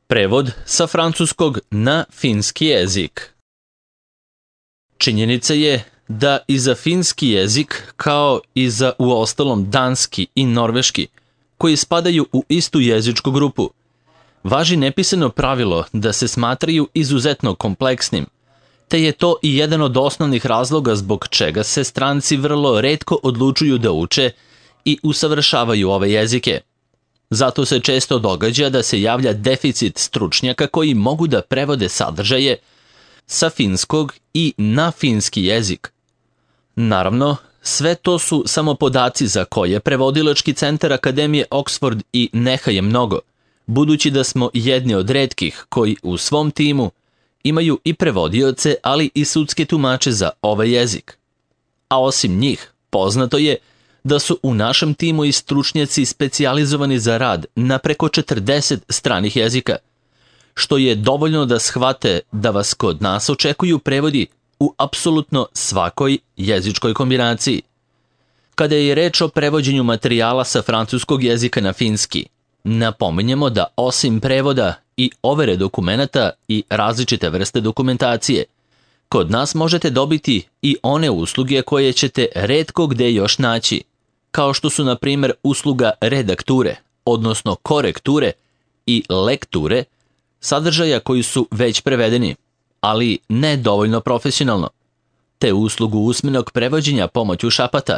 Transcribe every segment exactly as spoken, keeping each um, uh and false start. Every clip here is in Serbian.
Prevod sa francuskog na finski jezik. Činjenica je da i za finski jezik, kao i za uostalom danski i norveški, koji spadaju u istu jezičku grupu, važi nepisano pravilo da se smatraju izuzetno kompleksnim, te je to i jedan od osnovnih razloga zbog čega se stranci vrlo retko odlučuju da uče i usavršavaju ove jezike. Zato se često događa da se javlja deficit stručnjaka koji mogu da prevode sadržaje sa finskog i na finski jezik. Naravno, sve to su samo podaci za koje prevodilački centar Akademije Oxford i neha je mnogo, budući da smo jedni od retkih koji u svom timu imaju i prevodioce, ali i sudske tumače za ovaj jezik. A osim njih, poznato je da su u našem timu i stručnjaci specijalizovani za rad na preko četrdeset stranih jezika, što je dovoljno da shvate da vas kod nas očekuju prevodi u apsolutno svakoj jezičkoj kombinaciji. Kada je reč o prevođenju materijala sa francuskog jezika na finski, napominjemo da osim prevoda i overe dokumenata i različite vrste dokumentacije, kod nas možete dobiti i one usluge koje ćete retko gde još naći, kao što su na primjer usluga redakture, odnosno korekture i lekture, sadržaja koji su već prevedeni, ali ne dovoljno profesionalno, te uslugu usmenog prevođenja pomoću šapata,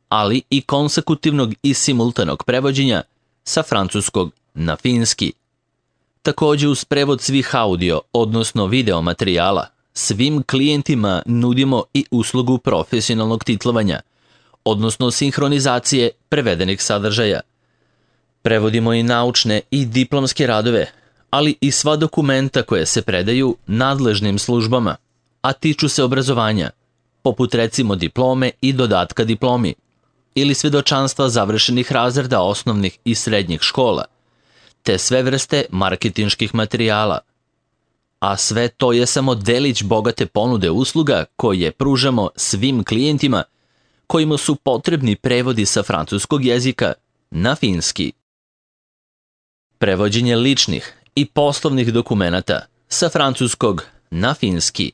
ali i konsekutivnog i simultanog prevođenja sa francuskog na finski. Također uz prevod svih audio, odnosno video materijala, svim klijentima nudimo i uslugu profesionalnog titlovanja, odnosno sinhronizacije prevedenih sadržaja. Prevodimo i naučne i diplomske radove, ali i sva dokumenta koje se predaju nadležnim službama, a tiču se obrazovanja, poput recimo diplome i dodatka diplomi, ili svedočanstva završenih razreda osnovnih i srednjih škola, te sve vrste marketinških materijala. A sve to je samo delić bogate ponude usluga koje pružamo svim klijentima kojima su potrebni prevodi sa francuskog jezika na finski. Prevođenje ličnih i poslovnih dokumenata sa francuskog na finski.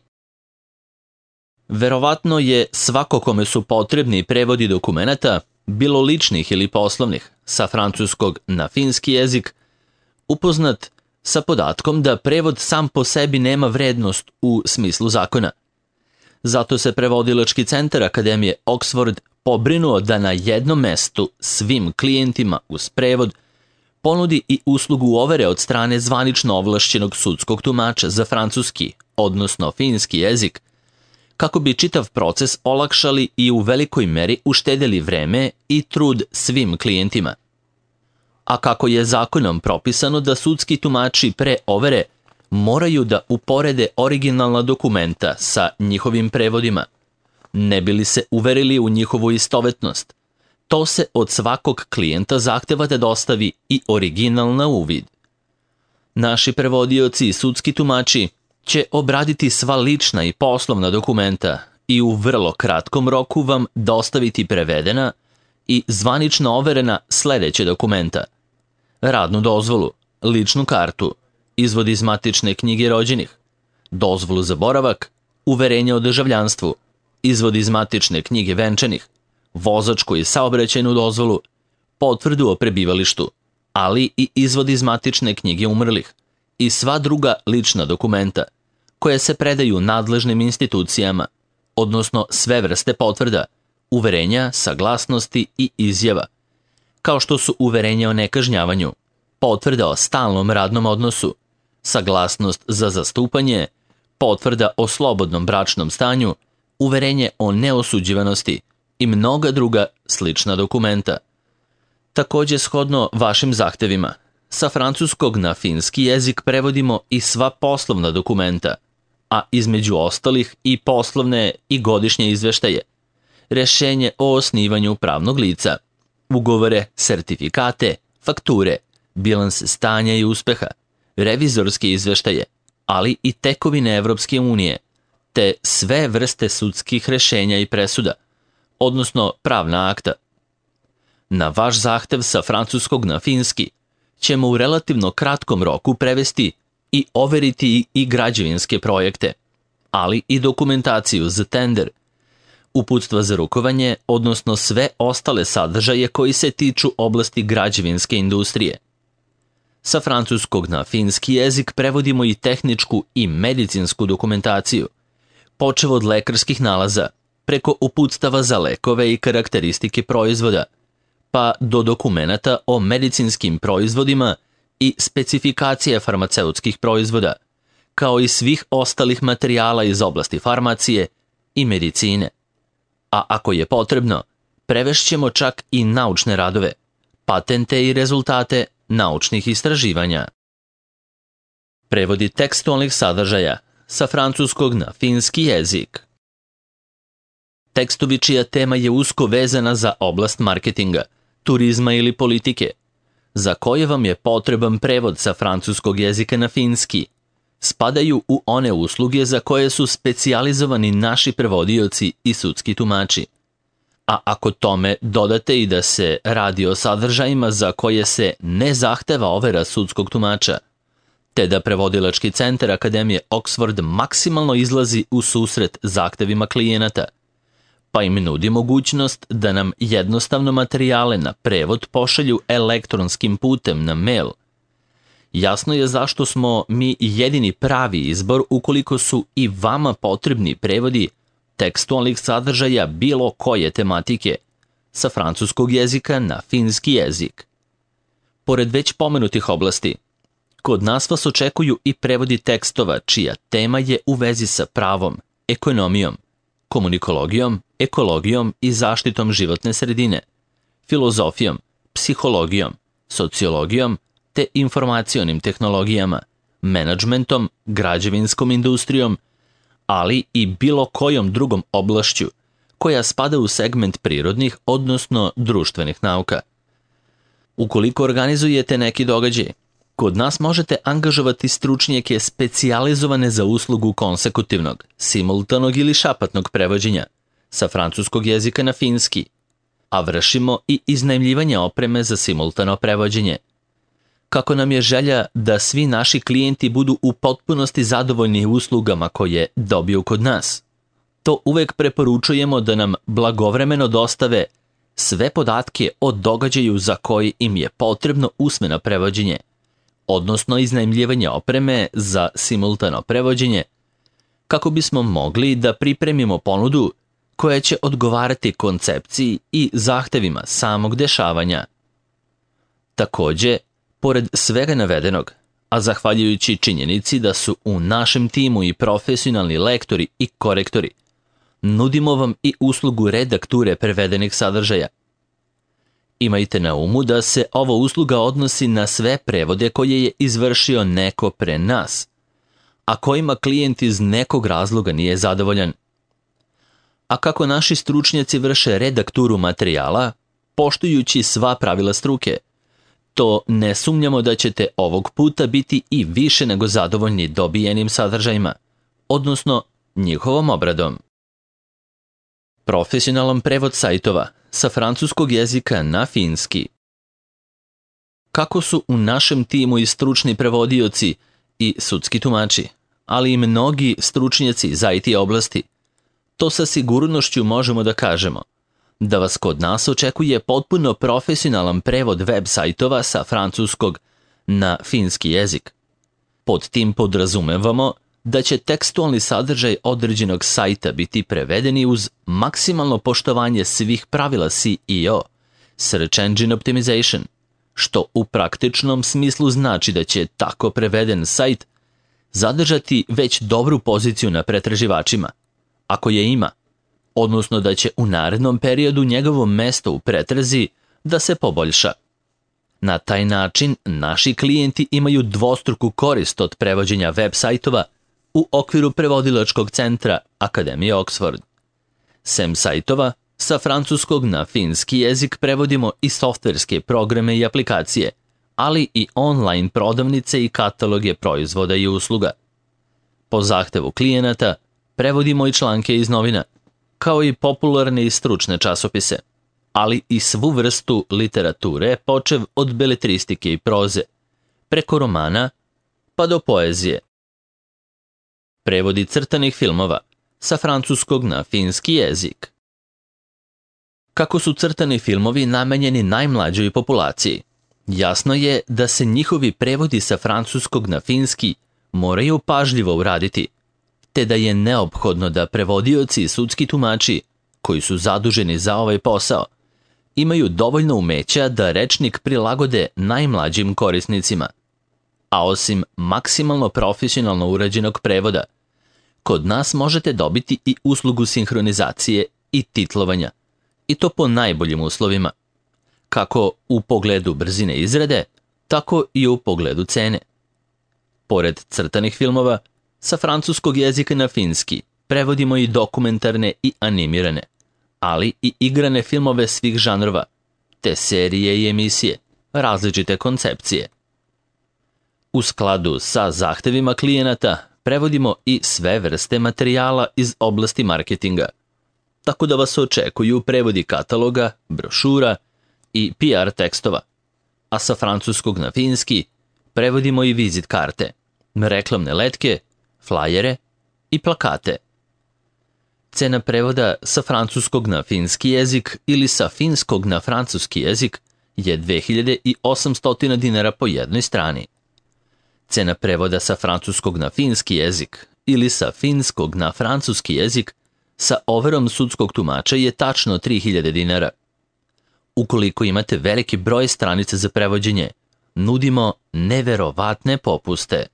Verovatno je svako kome su potrebni prevodi dokumenata, bilo ličnih ili poslovnih, sa francuskog na finski jezik, upoznat sa podatkom da prevod sam po sebi nema vrednost u smislu zakona. Zato se prevodilački centar Akademije Oxford pobrinuo da na jednom mestu svim klijentima uz prevod ponudi i uslugu overe od strane zvanično ovlašćenog sudskog tumača za francuski, odnosno finski jezik, kako bi čitav proces olakšali i u velikoj meri uštedeli vreme i trud svim klijentima. A kako je zakonom propisano da sudski tumači pre overe moraju da uporede originalna dokumenta sa njihovim prevodima, ne bi li se uverili u njihovu istovetnost, to se od svakog klijenta zahteva da dostavi i original na uvid. Naši prevodioci i sudski tumači će obraditi sva lična i poslovna dokumenta i u vrlo kratkom roku vam dostaviti prevedena i zvanično overena sljedeće dokumenta: radnu dozvolu, ličnu kartu, izvod iz matične knjige rođenih, dozvolu za boravak, uverenje o državljanstvu, izvod iz matične knjige venčanih, vozačku i saobraćajnu dozvolu, potvrdu o prebivalištu, ali i izvod iz matične knjige umrlih i sva druga lična dokumenta koje se predaju nadležnim institucijama, odnosno sve vrste potvrda, uverenja, saglasnosti i izjava, kao što su uverenje o nekažnjavanju, potvrda o stalnom radnom odnosu, saglasnost za zastupanje, potvrda o slobodnom bračnom stanju, uverenje o neosuđivanosti i mnoga druga slična dokumenta. Također, shodno vašim zahtevima, sa francuskog na finski jezik prevodimo i sva poslovna dokumenta, a između ostalih i poslovne i godišnje izveštaje, rješenje o osnivanju pravnog lica, ugovore, sertifikate, fakture, bilanse stanja i uspeha, revizorske izveštaje, ali i tekovine Evropske unije, te sve vrste sudskih rješenja i presuda, odnosno pravna akta. Na vaš zahtev sa francuskog na finski ćemo u relativno kratkom roku prevesti i overiti i građevinske projekte, ali i dokumentaciju za tender, uputstva za rukovanje, odnosno sve ostale sadržaje koji se tiču oblasti građevinske industrije. Sa francuskog na finski jezik prevodimo i tehničku i medicinsku dokumentaciju, počev od lekarskih nalaza, preko uputstava za lekove i karakteristike proizvoda, pa do dokumenata o medicinskim proizvodima i specifikacije farmaceutskih proizvoda, kao i svih ostalih materijala iz oblasti farmacije i medicine. A ako je potrebno, prevešćemo čak i naučne radove, patente i rezultate naučnih istraživanja. Prevodi tekstualnih sadržaja sa francuskog na finski jezik. Tekstovi čija tema je usko vezana za oblast marketinga, turizma ili politike, za koje vam je potreban prevod sa francuskog jezika na finski, spadaju u one usluge za koje su specijalizovani naši prevodioci i sudski tumači. A ako tome dodate i da se radi o sadržajima za koje se ne zahteva overa sudskog tumača, te da prevodilački centar Akademije Oxford maksimalno izlazi u susret zahtevima klijenata, pa im nudi mogućnost da nam jednostavno materijale na prevod pošalju elektronskim putem na mail. Jasno je zašto smo mi jedini pravi izbor ukoliko su i vama potrebni prevodi tekstualnih sadržaja bilo koje tematike sa francuskog jezika na finski jezik. Pored već pomenutih oblasti, kod nas vas očekuju i prevodi tekstova čija tema je u vezi sa pravom, ekonomijom, komunikologijom, ekologijom i zaštitom životne sredine, filozofijom, psihologijom, sociologijom te informacionim tehnologijama, menadžmentom, građevinskom industrijom, ali i bilo kojom drugom oblašću koja spada u segment prirodnih, odnosno društvenih nauka. Ukoliko organizujete neki događaj, kod nas možete angažovati stručnjake specijalizovane za uslugu konsekutivnog, simultanog ili šapatnog prevođenja sa francuskog jezika na finski, a vršimo i iznajmljivanje opreme za simultano prevođenje. Kako nam je želja da svi naši klijenti budu u potpunosti zadovoljni uslugama koje dobiju kod nas, to uvek preporučujemo da nam blagovremeno dostave sve podatke o događaju za koji im je potrebno usmeno prevođenje, odnosno iznajmljivanje opreme za simultano prevođenje, kako bismo mogli da pripremimo ponudu koja će odgovarati koncepciji i zahtevima samog dešavanja. Takođe, pored svega navedenog, a zahvaljujući činjenici da su u našem timu i profesionalni lektori i korektori, nudimo vam i uslugu redakture prevedenih sadržaja. Imajte na umu da se ova usluga odnosi na sve prevode koje je izvršio neko pre nas, a kojima klijent iz nekog razloga nije zadovoljan. A kako naši stručnjaci vrše redakturu materijala, poštujući sva pravila struke, to ne sumnjamo da ćete ovog puta biti i više nego zadovoljni dobijenim sadržajima, odnosno njihovom obradom. Profesionalan prevod sajtova sa francuskog jezika na finski. Kako su u našem timu i stručni prevodioci i sudski tumači, ali i mnogi stručnjaci za I T oblasti, to sa sigurnošću možemo da kažemo da vas kod nas očekuje potpuno profesionalan prevod web sajtova sa francuskog na finski jezik. Pod tim podrazumevamo da će tekstualni sadržaj određenog sajta biti prevedeni uz maksimalno poštovanje svih pravila S E O, Search Engine Optimization, što u praktičnom smislu znači da će tako preveden sajt zadržati već dobru poziciju na pretraživačima, ako je ima, odnosno da će u narednom periodu njegovo mesto u pretrazi da se poboljša. Na taj način naši klijenti imaju dvostruku korist od prevođenja web sajtova u okviru prevodilačkog centra Akademije Oxford. Sem sajtova, sa francuskog na finski jezik prevodimo i softverske programe i aplikacije, ali i online prodavnice i kataloge proizvoda i usluga. Po zahtevu klijenata prevodimo i članke iz novina, kao i popularne i stručne časopise, ali i svu vrstu literature, počev od beletristike i proze, preko romana pa do poezije. Prevodi crtanih filmova sa francuskog na finski jezik. Kako su crtani filmovi namenjeni najmlađoj populaciji, jasno je da se njihovi prevodi sa francuskog na finski moraju pažljivo uraditi, te da je neophodno da prevodioci i sudski tumači, koji su zaduženi za ovaj posao, imaju dovoljno umeća da rečnik prilagode najmlađim korisnicima. A osim maksimalno profesionalno urađenog prevoda, kod nas možete dobiti i uslugu sinhronizacije i titlovanja, i to po najboljim uslovima, kako u pogledu brzine izrade, tako i u pogledu cene. Pored crtanih filmova, sa francuskog jezika na finski prevodimo i dokumentarne i animirane, ali i igrane filmove svih žanrova, te serije i emisije, različite koncepcije. U skladu sa zahtevima klijenata prevodimo i sve vrste materijala iz oblasti marketinga, tako da vas očekuju prevodi kataloga, brošura i P R tekstova, a sa francuskog na finski prevodimo i vizit karte, reklamne letke, flajere i plakate. Cena prevoda sa francuskog na finski jezik ili sa finskog na francuski jezik je dve hiljade osamsto dinara po jednoj strani. Cena prevoda sa francuskog na finski jezik ili sa finskog na francuski jezik sa overom sudskog tumača je tačno tri hiljade dinara. Ukoliko imate veliki broj stranica za prevođenje, nudimo neverovatne popuste.